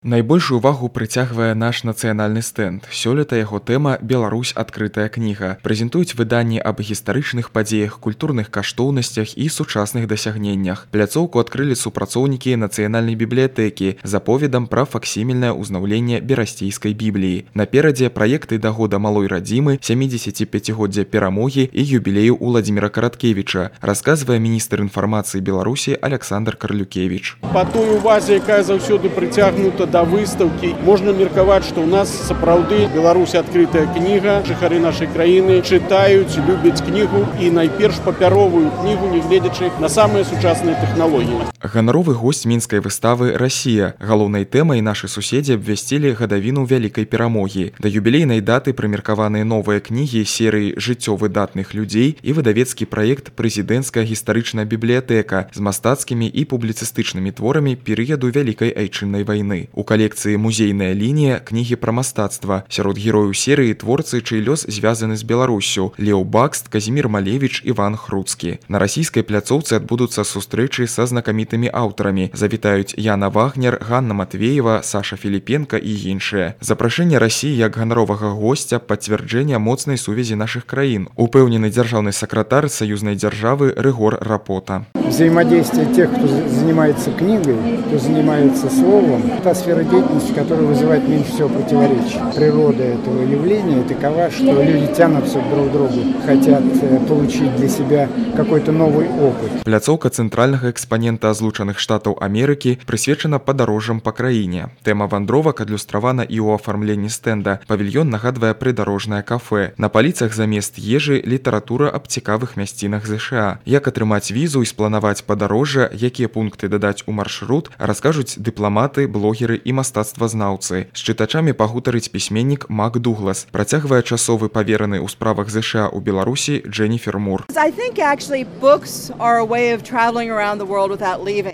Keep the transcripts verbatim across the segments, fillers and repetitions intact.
Найбольшую увагу прыцягвае наш нацыянальны стэнд. Сёлета яго тэма «Беларусь. Адкрытая кніга». Прэзентуюць выданні аб гістарычных падзеях, культурных каштоўнасцях і сучасных дасягненнях. Пляцоўку адкрылі супрацоўнікі нацыянальнай бібліятэкі з аповедам пра факсімільнае ўзнаўленне берасцейскай бібліі. Наперадзе праекты да года малой радзімы, сямідзесяціпяцігоддзя перамогі і юбілею Уладзіміра Караткевіча, расказвае міністр інфармацыі Беларусі Аляксандр Карлюкевіч. Па той увазе, якая заўсёды прыцягнута да выстаўкі, можна меркаваць, што ў нас сапраўды Беларусь адкрытая кніга. Жыхары нашай краіны чытаюць, любяць кнігу і найперш папяровую кнігу, нягледзячы на самыя сучасныя тэхналогіі. Ганаровы госць мінскай выставы «Расія». Галоўнай тэмай нашы суседзі абвясцілі гадавіну вялікай перамогі. Да юбілейнай даты прымеркаваныя новыя кнігі серыі «Жыццё выдатных людзей» і выдавецкі праект «Прэзідэнцкая гістарычная бібліятэка» з мастацкімі і публіцыстычнымі творамі перыяду Вялікай айчыннай вайны. У калекцыі «Музейная лінія» кнігі пра мастацтва. Сярод герояў серыі творцы, чый лёс звязаны з Беларуссю: Леў Бакст, Казімір Малевіч, Іван Хруцкі. На расійскай пляцоўцы адбудуцца сустрэчы са знакамітымі аўтарамі. Завітаюць Яна Вагнер, Ганна Матвеева, Саша Філіпенка і іншыя. Запрашэнне Расіі як ганаровага госця – пацвярджэнне моцнай сувязі нашых краін, упэўнены дзяржаўны сакратар саюзнай дзяржавы Рыгор Рапота. Взаимодействие тех, кто занимается книгой, кто занимается словом, та сфера деятельности, которая вызывает меньше всего противоречий. Природа этого явления такова, что люди тянутся друг к другу, хотят получить для себя какой-то новый опыт. Пляцоўка цэнтральнага экспанента Злучаных Штатаў Амерыкі прысвечана падарожжам па краіне. Тэма вандровак адлюстравана і ў афармленні стэнда. Павільён нагадвае прыдарожнае кафэ. На паліцах замест ежы літаратура аб цікавых мясцінах ЗША. Як атрымаць візу і спланаваць падарожжа, якія пункты дадаць у маршрут, раскажуць дыпламаты, блогеры і мастацтвазнаўцы. З чытачамі пагутарыць пісьменнік Мак Дуглас. Працягвае часовы павераны ў справах ЗША ў Беларусі Дженніфер Мур.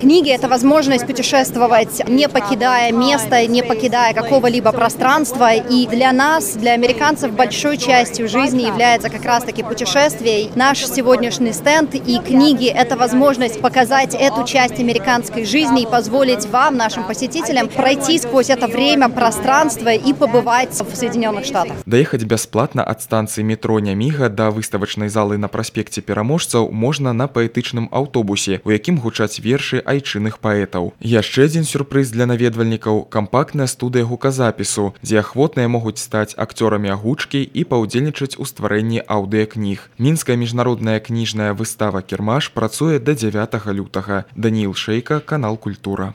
Книги — это возможность путешествовать, не покидая места, не покидая какого-либо пространства. И для нас, для американцев, большой частью жизни является как раз-таки путешествие. Наш сегодняшний стенд и книги — это возможность показать эту часть американской жизни и позволить вам, нашим посетителям, пройти сквозь это время, пространство и побывать в Соединенных Штатах. Даехаць бясплатна ад станцыі метро Няміга да выставачнай залы на праспекце Пераможцаў можна на паэтычным аўтобусе, у якім гучаць вершы айчынных паэтаў. Яшчэ адзін сюрпрыз для наведвальнікаў – кампактная студыя гуказапісу, дзе ахвотныя могуць стаць акцёрамі агучкі і паўдзельнічаць у стварэнні аўдыякніг. Мінская міжнародная кніжная выстава «Кірмаш» працуе да дзявятага лютага. Даніил Шейка, канал «Культура».